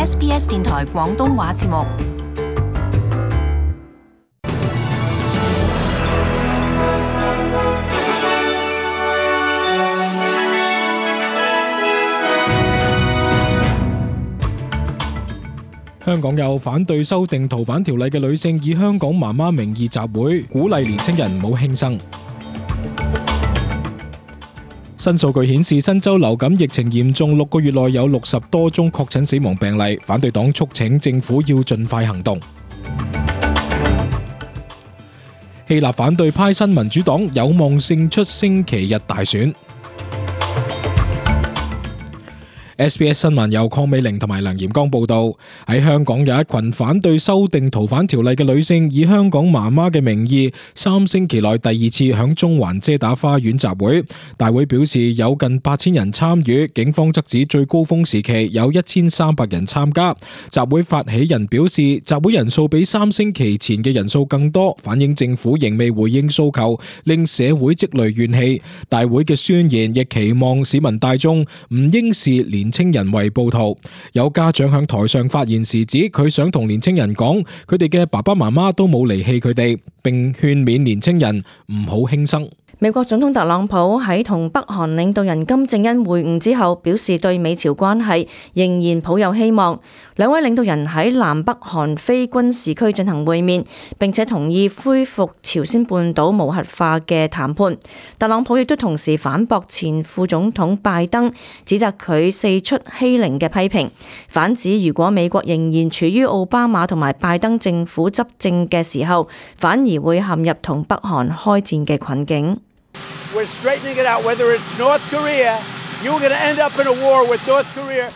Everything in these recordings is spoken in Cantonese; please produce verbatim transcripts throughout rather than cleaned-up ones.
S B S 電台廣東話節目。香港有反對修訂逃犯條例嘅女性以香港媽媽名義集會，鼓勵年青人唔好輕生。新數據顯示，新州流感疫情嚴重，六個月內有六十多宗確診死亡病例。反對黨促請政府要盡快行動。希臘反對派新民主黨有望勝出星期日大選。S B S 新聞由鄺美玲同埋梁炎光報道，喺香港有一群反對修訂逃犯條例嘅女性，以香港媽媽嘅名義，三星期內第二次響中環遮打花園集會。大會表示有近八千人參與，警方則指最高峰時期有一千三百人參加。集會發起人表示，集會人數比三星期前嘅人數更多，反映政府仍未回應訴求，令社會積累怨氣。大會嘅宣言亦期望市民大眾唔應視年青人為暴徒。有家長響台上發言時指，佢想同年青人講，佢哋嘅爸爸媽媽都冇離棄佢哋，並勸勉年青人唔好輕生。美國總統特朗普喺同北韓領導人金正恩會晤之後，表示對美朝關係仍然抱有希望。兩位領導人喺南北韓非軍事區進行會面，並且同意恢復朝鮮半島無核化嘅談判。特朗普亦都同時反駁前副總統拜登指責佢四出欺凌嘅批評，反指如果美國仍然處於奧巴馬同埋拜登政府執政嘅時候，反而會陷入同北韓開戰嘅困境。We're straightening it out. Whether it's North Korea, you're going to end up in a war with North Korea.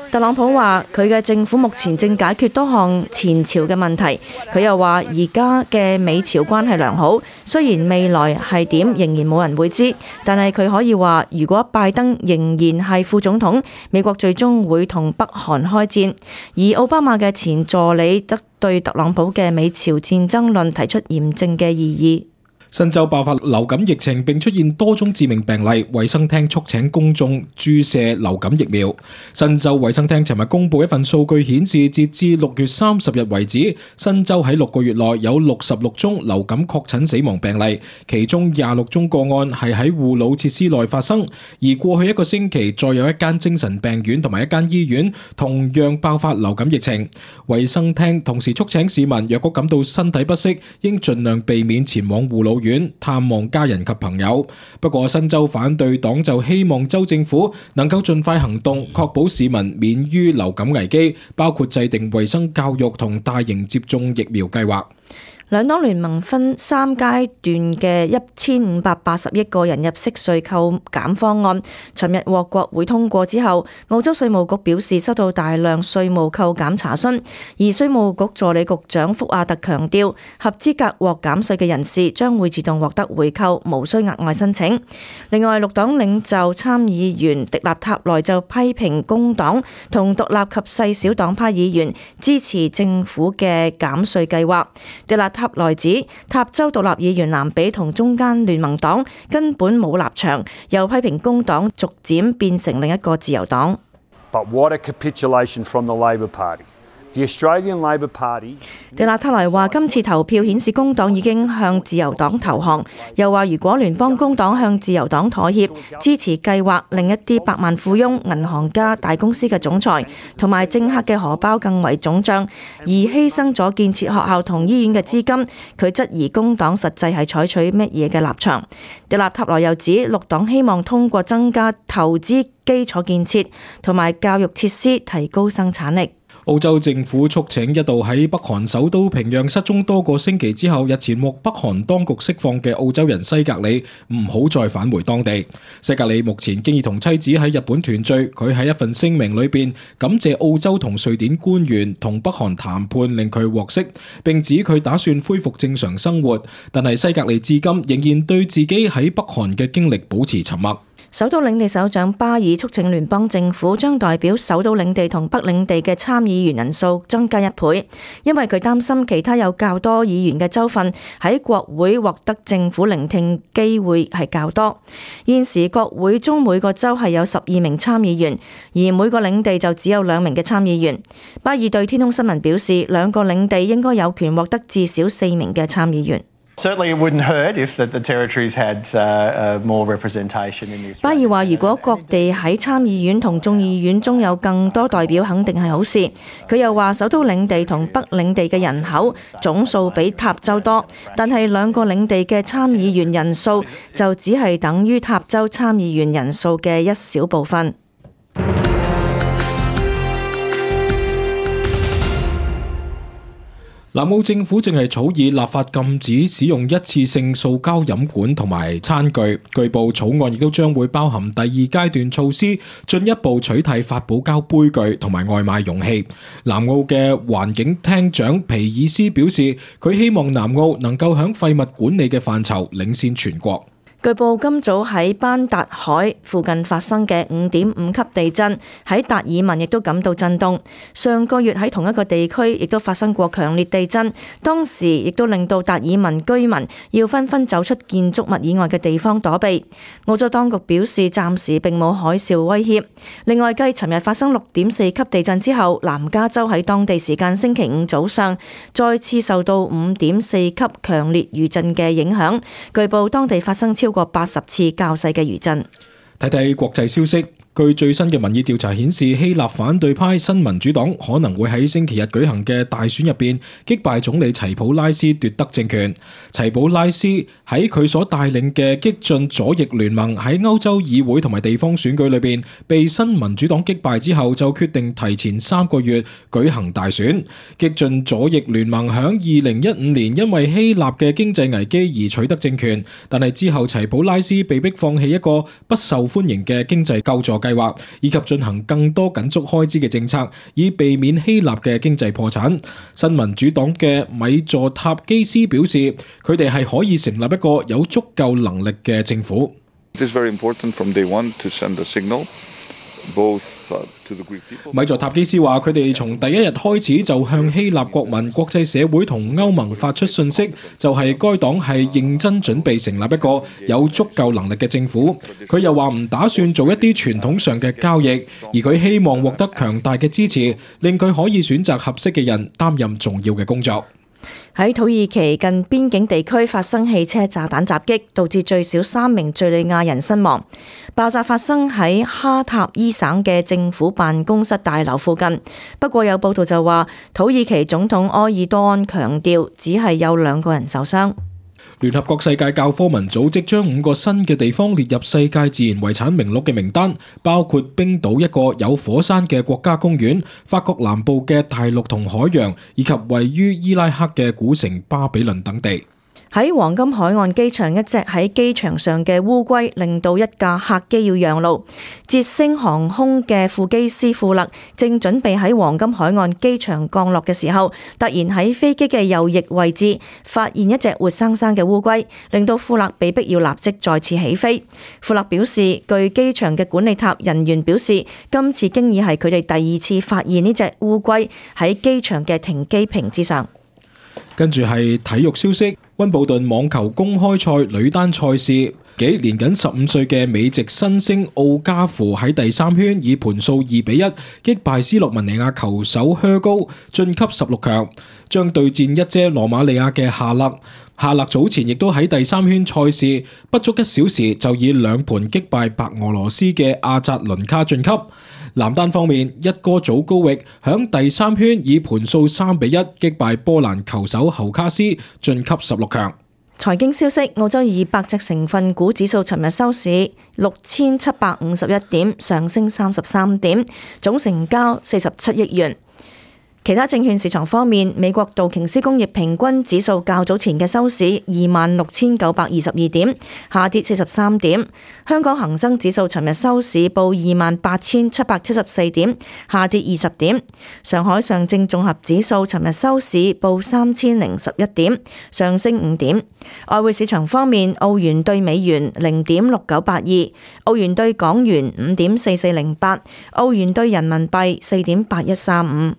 特朗普話佢嘅政府目前正解決多項前朝嘅問題。佢又話而家嘅美朝關係良好，雖然未來係點仍然冇人會知，但係佢可以話，如果拜登仍然係副總統，美國最終會同北韓開戰。而奧巴馬嘅前助理則對特朗普嘅美朝戰爭論提出嚴正嘅異議。新州爆發流感疫情，並出現多宗致命病例，衛生廳促請公眾注射流感疫苗。新州衛生廳尋日公布一份數據顯示，截至六月三十日為止，新州喺六個月內有六十六宗流感確診死亡病例，其中廿六宗個案係喺護老設施內發生。而過去一個星期，再有一間精神病院同埋一間醫院同樣爆發流感疫情。衛生廳同時促請市民，若果感到身體不適，應盡量避免前往護老院探望家人及朋友。不過新州反對黨就希望州政府能夠盡快行動，確保市民免於流感危機，包括制定衛生教育同大型接種疫苗計劃。兩黨聯盟分三階段嘅一千五百八十億個人入息稅扣減方案，尋日獲國會通過之後，澳洲稅務局表示收到大量稅務扣減查詢，而稅務局助理局長福亞特強調，合資格獲減稅嘅人士將會自動獲得回扣，無需額外申請。另外，綠黨領袖參議員迪納塔萊就批評工黨同獨立及細小黨派議員支持政府嘅減稅計劃。迪納塔萊指塔州獨立議員蘭比同中間聯盟黨根本冇立場，又批評工黨逐漸變成另一個自由黨。But what a capitulation from the Labor Party. The Australian Labor Party. 迪納塔萊話今次投票顯示工黨已經向自由黨投降，又話如果聯邦工黨向自由黨妥協，支持計劃令一啲百萬富翁、銀行家、大公司嘅總裁同埋政客嘅荷包更為腫脹，而犧牲咗建設學校同醫院嘅資金，佢質疑工黨實際係採取乜嘢嘅立場。迪納塔萊又指綠黨希望通過增加投資基礎建設同埋教育設施，提高生產力。澳洲政府促請一度喺北韓首都平壤失蹤多個星期之後，日前獲北韓當局釋放嘅澳洲人西格里唔好再返回當地。西格里目前經已同妻子喺日本團聚，佢喺一份聲明裏邊感謝澳洲同瑞典官員同北韓談判令佢獲釋，並指佢打算恢復正常生活。但係西格里至今仍然對自己喺北韓嘅經歷保持沉默。首都領地首長巴爾促請聯邦政府將代表首都領地同北領地嘅參議員人數增加一倍，因為佢擔心其他有較多議員嘅州份喺國會獲得政府聆聽機會係較多。現時國會中每個州係有十二名參議員，而每個領地就只有兩名嘅參議員。巴爾對天空新聞表示，兩個領地應該有權獲得至少四名嘅參議員。Certainly it wouldn't hurt if the territories had more representation in this. 巴爾話：如果各地喺參議院同眾議院中有更多代表，肯定係好事。佢又話：首都領地同北領地嘅人口總數比塔州多，但係兩個領地嘅參議員人數就只係等於塔州參議員人數嘅一小部分。南澳政府正係草擬立法禁止使用一次性塑膠飲管同埋餐具，據報草案亦都將會包含第二階段措施，進一步取締發泡膠杯具同埋外賣容器。南澳嘅環境廳長皮爾斯表示，佢希望南澳能夠喺廢物管理嘅範疇領先全國。據報今早喺班達海附近發生嘅五點五級地震，喺達爾文亦都感到震動。上個月喺同一個地區亦都發生過強烈地震，當時亦都令到達爾文居民要紛紛走出建築物以外嘅地方躲避。澳洲當局表示暫時並冇海嘯威脅。另外，繼尋日發生六點四級地震之後，南加州喺當地時間星期五早上再次受到五點四級強烈餘震嘅影響，據報當地發生超過八十次較細嘅餘震。睇睇國際消息。據最新嘅民意調查顯示，希臘反對派新民主黨可能會喺星期日舉行嘅大選入邊擊敗總理齊普拉斯奪得政權。齊普拉斯喺佢所帶領嘅激進左翼聯盟喺歐洲議會同埋地方選舉裏邊被新民主黨擊敗之後，就決定提前三個月舉行大選。激進左翼聯盟響二零一五年因為希臘嘅經濟危機而取得政權，但係之後齊普拉斯被迫放棄一個不受歡迎嘅經濟救助計劃，以及進行更多緊縮開支嘅政策，以避免希臘嘅經濟破產。新民主黨嘅米佐塔基斯表示，佢哋係可以成立一個有足夠能力嘅政府。米佐塔基斯話：佢哋從第一日開始就向希臘國民、國際社會同歐盟發出訊息，就係該黨係認真準備成立一個有足夠能力嘅政府。佢又話唔打算做一啲傳統上嘅交易，而佢希望獲得強大嘅支持，令佢可以選擇合適嘅人擔任重要嘅工作。喺土耳其近邊境地區發生汽車炸彈襲擊，導致最少三名敘利亞人身亡。爆炸發生喺哈塔伊省嘅政府辦公室大樓附近。不過有報道就話，土耳其總統埃爾多安強調，只係有兩個人受傷。聯合國世界教科文組織將五個新嘅地方列入世界自然遺產名錄嘅名單，包括冰島一個有火山嘅國家公園、法國南部嘅大陸同海洋，以及位於伊拉克嘅古城巴比倫等地。喺黃金海岸機場，一隻喺機場上嘅烏龜令到一架客機要讓路。捷星航空嘅副機師庫勒正準備喺黃金海岸機場降落嘅時候，突然喺飛機嘅右翼位置發現一隻活生生嘅烏龜，令到庫勒被逼要立即再次起飛。庫勒表示，據機場嘅管理塔人員表示，今次經已係佢哋第二次發現呢隻烏龜喺機場嘅停機坪之上。跟住係體育消息，溫布頓網球公開賽女單賽事，幾年僅十五歲嘅美籍新星奧加芙喺第三圈以盤數二比一擊敗斯洛文尼亞球手靴高，晉級十六強，將對戰一姐羅馬尼亞嘅夏勒。夏勒早前亦都喺第三圈賽事不足一小時就以兩盤擊敗白俄羅斯嘅阿扎倫卡晉級。男單方面，一哥祖高域響第三圈以盤數三比一擊敗波蘭球手侯卡斯，晉級十六強。財經消息，澳洲二百隻成分股指數尋日收市六千七百五十一點，上升三十三點，總成交四十七億元。其他證券市場方面，美國道瓊斯工業平均指數較早前嘅收市二萬六千九百二十二點，下跌四十三點。香港恒生指數尋日收市報二萬八千七百七十四點，下跌二十點。上海上證綜合指數尋日收市報三千零十一點，上升五點。外匯市場方面，澳元對美元零點六九八二，澳元對港元五點四四零八，澳元對人民幣四點八一三五。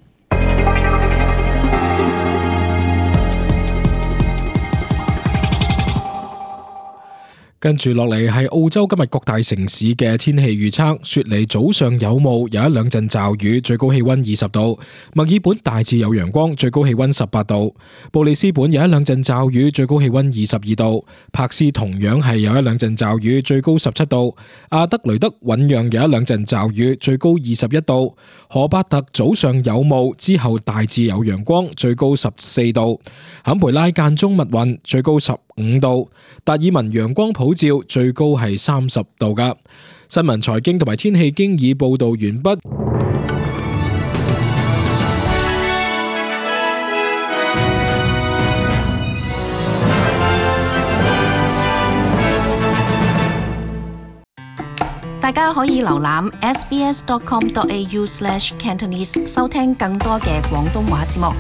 跟住落嚟係澳洲今日各大城市嘅天氣預測。雪梨早上有霧，有一兩陣驟雨，最高氣溫二十度。墨爾本大致有陽光，最高氣溫十八度。布里斯本有一兩陣驟雨，最高氣溫二十二度。柏斯同樣係有一兩陣驟雨，最高十七度。阿德雷德醞釀有一兩陣驟雨，最高二十一度。荷巴特早上有霧，之後大致有陽光，最高十四度。坎培拉間中密雲，最高十五度。達爾文陽光普照，最高係三十度噶。新聞財經同埋天氣經已報道完畢。大家可以瀏覽 s b s dot com dot a u slash cantonese 收聽更多嘅廣東話節目。